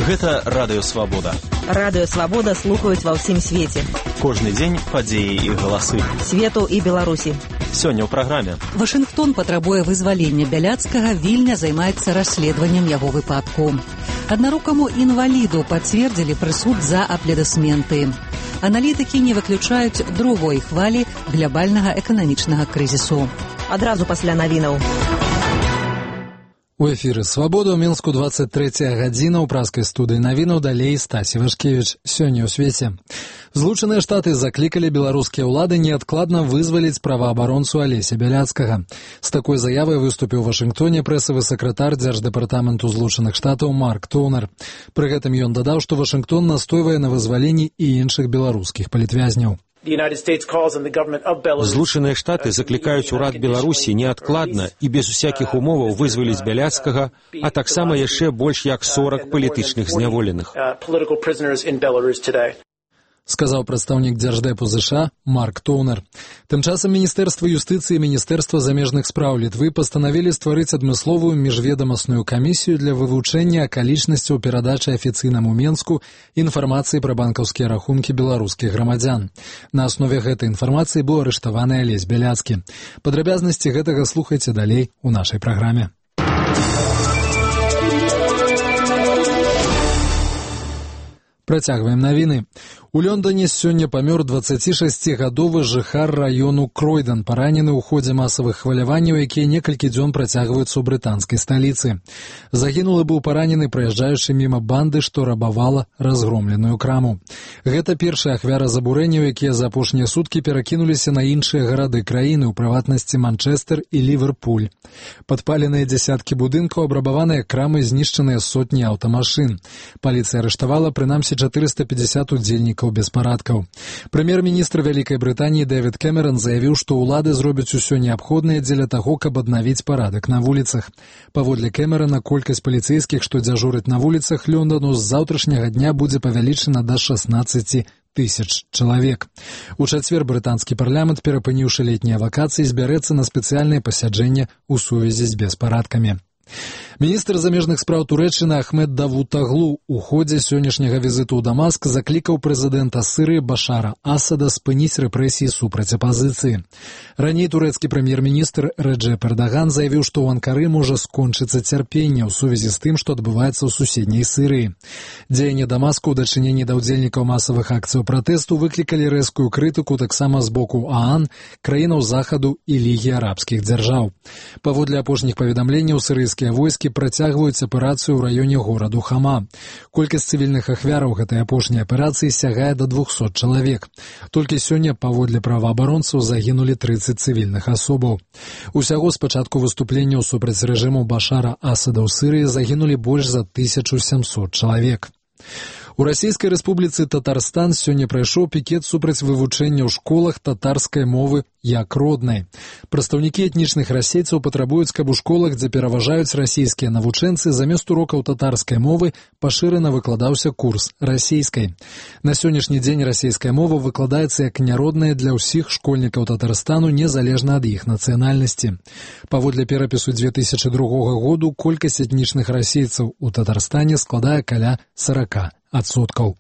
Гэта Радыё Свабода. Радыё Свабода слухаюць ва ўсім свеце. Кожны дзень падзеі і галасы. Свету і Беларусі. Сёння ў праграме. Вашынгтон патрабуе вызвалення Бяляцкага, Вільня займаецца расследаваннем яго выпадку. Аднарукаму інваліду пацвердзілі прысуд за аплодысменты. Аналітыкі не выключаюць другой хвалі глобальнага эканамічнага крызісу. Адразу пасля навінаў. У эфіры «Свабода» ў Мінску 23 гадзіна ў праскай студыі навінаў, далей Стасі Вашкевіч. Сёння ў свеце. Злучаныя Штаты заклікалі беларускія ўлады неадкладна вызваліць праваабаронцу Алеся Бяляцкага. З такой заявай выступіў у Вашынгтоне прэсавы сакратар Дзярждэпартаменту Злучаных Штатаў Марк Тоўнер. Пры гэтым ён дадаў, што Вашынгтон настойвае на вызваленні і іншых беларускіх палітвязняў. Злучаныя Штаты заклікаюць урад Беларусі неадкладна і без усякіх умоваў вызваліць Бяляцкага, а таксама яшчэ больш як 40 палітычных зняволеных. Сказаў прадстаўнік Дзярждэпу ЗША Марк Тоўнер. Тым часам Міністэрства юстыцыі і Міністэрства замежных спраў Літвы пастанавілі стварыць адмысловую міжведамасную камісію для вывучэння акалічнасцяў перадачы афіцыйнаму Менску інфармацыі пра банкаўскія рахункі беларускіх грамадзян. На аснове гэтай інфармацыі быў арыштаваны Алесь Бяляцкі. Падрабязнасці гэтага слухайце далей у нашай праграме. Працягваем навіны. У Лондоне сёння памёр 26-гадовы жыхар раёну Кройден, паранены ў ходзе масавых хваляванняў, якія некалькі дзён працягваюцца ў брытанскай сталіцы. Загінулы быў паранены праязджаючы міма банды, што рабавала разгромленую краму. Гэта першая ахвяра забурэнняў, якія за апошнія суткі перакінуліся на іншыя гарады краіны, у прыватнасці Манчэстэр і Ліверпуль. Падпаленыя дзясяткі будынкаў, абрабаваныя крамы, знішчаныя сотні аўтамашын. Паліцыя арыштавала прынамсі 450 удзельнікаў беспарадкаў. Прэм'ер-міністр Вялікай Брытаніі Дэвід Кэмерон заявіў, што ўлады зробяць усё неабходнае дзеля таго, каб аднавіць парадак на вуліцах. Паводле Кэмерона, колькасць паліцэйскіх, што дзяжураць на вуліцах Лондану, з заўтрашняга дня будзе павялічана да 16 тысяч чалавек. У чацвер брытанскі парламент, перапыніўшы летнія вакацыі, збярэцца на спецыяльнае пасяджэнне ў сувязі з беспарадкамі. Міністр замежных спраў Турэччыны Ахмед Давутаглу у ходзе сённяшняга візіту ў Дамаск заклікаў прэзідэнта Сырыі Башара Асада спыніць рэпрэсіі супраць апазіцыі. Раней турэцкі прэм'ер-міністр Рэджэп Эрдаган заявіў, што ў Анкары можа скончыцца цярпенне ў сувязі з тым, што адбываецца ў суседняй Сырыі. Дзеянні Дамаску ў дачыненні да ўдзельнікаў масавых акцыяў пратэсту выклікалі рэзкую крытыку таксама з боку ААН, краінаў Захаду і Лігі арабскіх дзяржаў. Паводле апошніх паведамленняў, сырыйскія войскі працягваюць аперацыю ў раёне гораду Хама. Колькасць цывільных ахвяраў гэтай апошняй аперацыі сягае да 200 чалавек. Толькі сёння, паводле праваабаронцаў, загінулі 30 цывільных асобаў. Усяго з пачатку выступленняў супраць рэжыму Башара Асада ў Сырыі загінулі больш за 1700 чалавек. У Расійскай Рэспубліцы Татарстан сёння прайшоў пікет супраць вывучэння ў школах татарскай мовы як роднай. Прадстаўнікі этнічных расейцаў патрабуюць, каб у школах, дзе пераважаюць расійскія навучэнцы, замест урокаў татарскай мовы пашырана выкладаўся курс расійскай. На сённяшні дзень расійская мова выкладаецца як няродная для ўсіх школьнікаў Татарстану, незалежна ад іх нацыянальнасці. Паводле перапісу 2002 году колькасць этнічных расейцаў у Татарстане складае каля 40%.